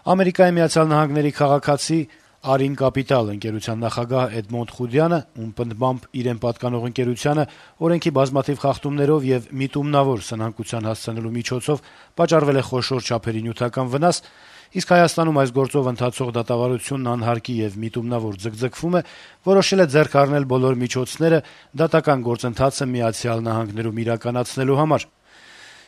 Ամերիկայի Միացյալ Նահանգների քաղաքացի Արին Կապիտալ ընկերության նախագահ Էդմոնդ Խուդյանը, ում պնդմամբ իրեն պատկանող ընկերությանը օրենքի բազմաթիվ խախտումներով եւ միտումնավոր սնանկության հասցնելու միջոցով պատճառվել է խոշոր չափերի նյութական վնաս, իսկ Հայաստանում այս գործով ընթացող դատավարությունն անհարկի եւ միտումնավոր ձգձգվում է, որոշել է ձեռք առնել բոլոր միջոցները դատական գործընթացը Միացյալ Նահանգներում իրականացնելու համար։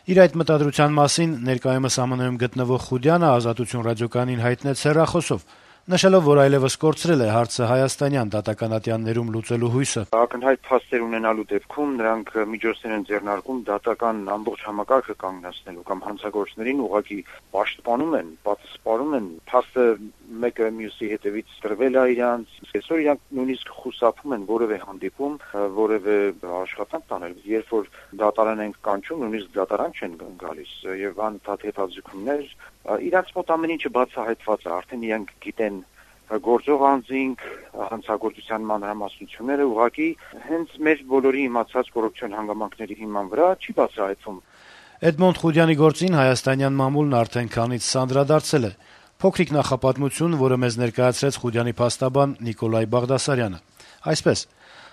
Իր այդ մտադրության մասին ներկայումս ԱՄՆ-ում գտնվող Խուդյանը «Ազատություն» ռադիոկայանին հայտնեց հեռախոսով, նշելով, որ այլևս կորցրել է հարցը հայաստանյան դատական ատյաններում լուծելու հույսը։ Ակնհայտ փաստեր ունենալու դեպքում նրանք միջոցներ են ձեռնարկում դատական ամբողջ համակարգը կանգնեցնելու կամ հանցագործներին ուղղակի պաշտպանում են, պատասխանում են, փաստը մեկը մյուսի հետևից տրվել է իրանց, այսօր իրանք նույնիսկ խուսափում են որևէ հանդիպում, որևէ աշխատանք տանել, երբ որ դատարան են կանչում, նույնիսկ դատարան չեն գալիս եւ անընդհատ հետաձգումներ, իրանց մոտ ամեն ինչը բացահայտված է, արդեն իրանք գիտեն գործող անձինք, հանցագործության մանրամասնությունները, ուղղակի հենց մեր բոլորի իմացած կոռուպցիոն հանգամանքների հիման վրա չի բացահայտվում։ Էդմոնդ Խուդյանի գործին հայաստանյան մամուլն արդեն քանից սանդրադարձել է։ Փոքրիկ նախապատմություն, որը մեզ ներկայացրեց Խուդյանի փաստաբան Նիկոլայ Բաղդասարյանը։ Այսպես,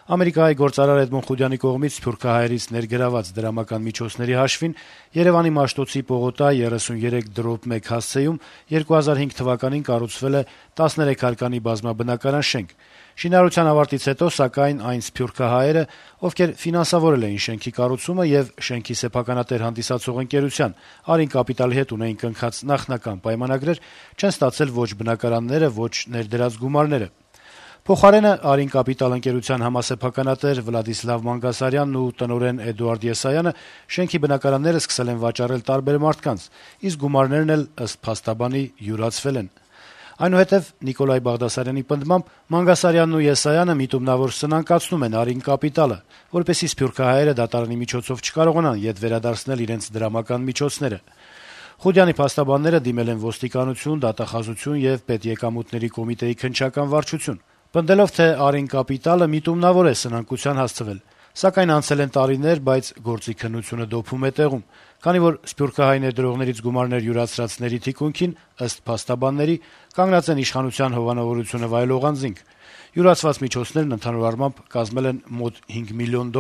Ամերիկայի գործարար Էդմոնդ Խուդյանի կողմից սփյուռքահայերից ներգրաված դրամական միջոցների հաշվին Երևանի Մաշտոցի պողոտա 33/1 հասցեում 2005 թվականին կառուցվել է 13 հարկանի բազմաբնակարան շենք։ Շինարարության ավարտից հետո, սակայն, այն սփյուռքահայերը, ովքեր ֆինանսավորել էին շենքի կառուցումը եւ շենքի սեփականատեր հանդիսացող ընկերության Արին Կապիտալի հետ ունեին կնքած նախնական պայմանագրեր, չեն ստացել ոչ բնակարանները, ոչ ներդրած գումարները։ Փոխարենը Արին Կապիտալ ընկերության համասեփականատեր Վլադիսլավ Մանգասարյանն ու տնօրեն Էդուարդ Եսայանը շենքի բնակարանները սկսել են վաճառել տարբեր մարդկանց, իսկ գումարներն էլ ըստ փաստաբանի յուրացվել են։ Այնուհետև Նիկոլայ Բաղդասարյանի պնդմամբ Մանգասարյանն ու Եսայանը միտումնավոր սնանկացնում են Արին Կապիտալը, որպեսզի սփյուռքահայերը դատարանի միջոցով չկարողանան ետ վերադարձնել իրենց դրամական միջոցները։ Խուդյանի փաստաբանները դիմել են ոստիկանություն, դատախազություն եւ պետեկամուտների կոմիտեի քննչական վարչություն, պնդելով, թե Արին Կապիտալը միտումնավոր է սնանկության հասցվել, սակայն անցել են տարիներ, բայց գործի քննությունը դոփում է տեղում, քանի որ սփյուռքահայ ներդրողներից գումարներ յուրացրածների թիկունքին, ըստ փաստաբանների, կանգնած են իշխանության հովանավորությունը վայելող անձինք։ Յուրացված միջոցներն ընդհանուր առմամբ կազմել են մոտ $5 միլիոն։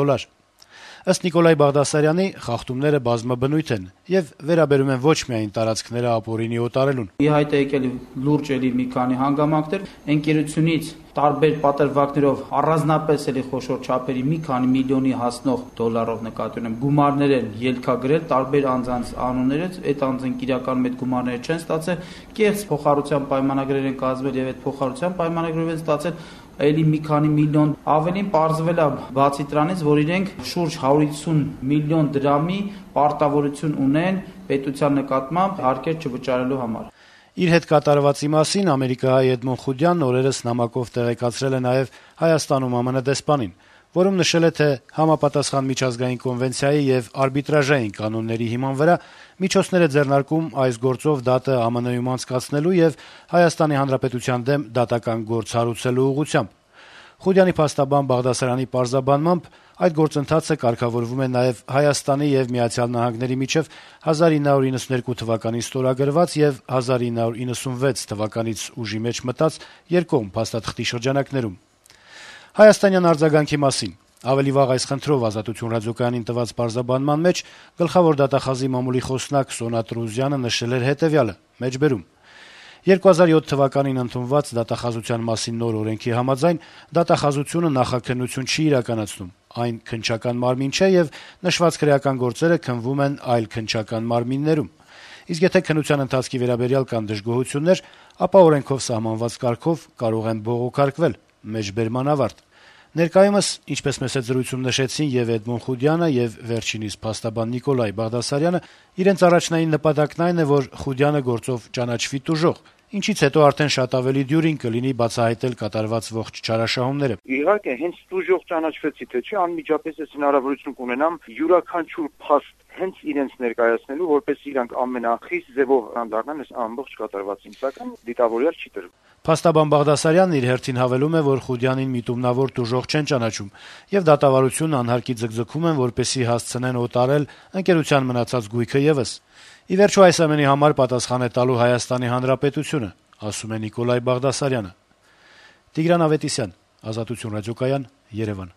Ըստ Նիկոլայ Բաղդասարյանի, խախտումները բազմաբնույթ են եւ վերաբերում են ոչ միայն տարածքները ապօրինի օտարելուն։ Ի հայտ է եկել լուրջ էլի մի քանի հանգամանքներ, ընկերությունից տարբեր պատրվակներով առանձնապես էլի խոշոր չափերի մի քանի միլիոնի հասնող դոլարով նկատի ունեմ գումարներ են ելքագրել տարբեր անձանց անուններից, այդ անձինք իրականում այդ գումարները չեն ստացել, կեղծ փոխհարության պայմանագրեր են կազմել եւ այդ փոխհարության պայմանագրերով են ստացել այլի մի քանի միլիոն, ավելին պարզվել է բացի դրանից, որ իրենք շուրջ 150 միլիոն դրամի պարտավորություն ունեն պետության նկատմամբ հարկեր չվճարելու համար։ Իր հետ կատարվածի մասին Ամերիկահայ Էդմոնդ Խուդյանն օրերս նամակով տեղեկացրել է նաև Հայաստանում ԱՄՆ դեսպանին, որում նշել է, թե համապատասխան միջազգային կոնվենցիայի եւ արբիտրաժային կանոնների հիման վրա միջոցներ է ձեռնարկում այս գործով դատը ԱՄՆ-ում անցկացնելու եւ Հայաստանի Հանրապետության դեմ դատական գործ հարուցելու ուղղությամբ։ Խուդյանի փաստաբան Բաղդասարյանի պարզաբանմամբ այդ գործընթացը կարգավորվում է նաև Հայաստանի եւ Միացյալ Նահանգների միջև 1992 թվականին ստորագրված եւ 1996 թվականից ուժի մեջ մտած երկկողմ փաստաթղթի շրջանակներում։ Հայաստանյան արձագանքի մասին ավելի վաղ այս խնդրով Ազատություն ռադիոկայանին տված պարզաբանման մեջ գլխավոր դատախազի մամուլի խոսնակ Սոնա Տրուզյանը նշել էր հետեւյալը. մեջբերում 2007 թվականին ընդունված դատախազության մասին նոր օրենքի համաձայն դատախազությունը նախաքննություն չի իրականացնում, այն քննչական մարմին չէ եւ նշված քրեական գործերը քննվում են այլ քննչական մարմիններում։ Իսկ եթե քննության ընթացքի վերաբերյալ կան դժգոհություններ, ապա օրենքով սահմանված կարգով կարող են բողոքարկվել։ Մեջբերման ավարտ։ Ներկայումս, ինչպես մեծ զրույցում նշեցին եւ Էդմոնդ Խուդյանը եւ վերջինիս փաստաբան Նիկոլայ Բաղդասարյանը, իրենց առաջնային նպատակն այն է, որ Խուդյանը գործով ճանաչվի տուժող, ինչից հետո արդեն շատ ավելի դյուրին կլինի բացահայտել կատարված ողջ չարաշահումները։ Իհարկե, հենց տուժող ճանաչվեցի, թե չէ, անմիջապես ես հնարավորություն կունենամ յուրաքանչյուր փաստ հենց իրենց ներկայացնելու, որպես իրանք ամենախիստ ձևով անդառնան այս ամբողջ կատարվածին, սակայն դիտավորյալ չի տրվում։ Փաստաբան Բաղդասարյանն իր հերթին հավելում է, որ Խուդյանին միտումնավոր տուժող չեն ճանաչում եւ դատավարությունն անհարկի ձգձգում են, որպեսզի հասցնեն օտարել ընկերության մնացած գույքը եւս։ Ի վերջո այս ամենի համար պատասխան է տալու Հայաստանի Հանրապետությունը, ասում է Նիկոլայ Բաղդասարյանը։ Տիգրան Ավետիսյան, Ազատություն ռադիոկայան, Երևան։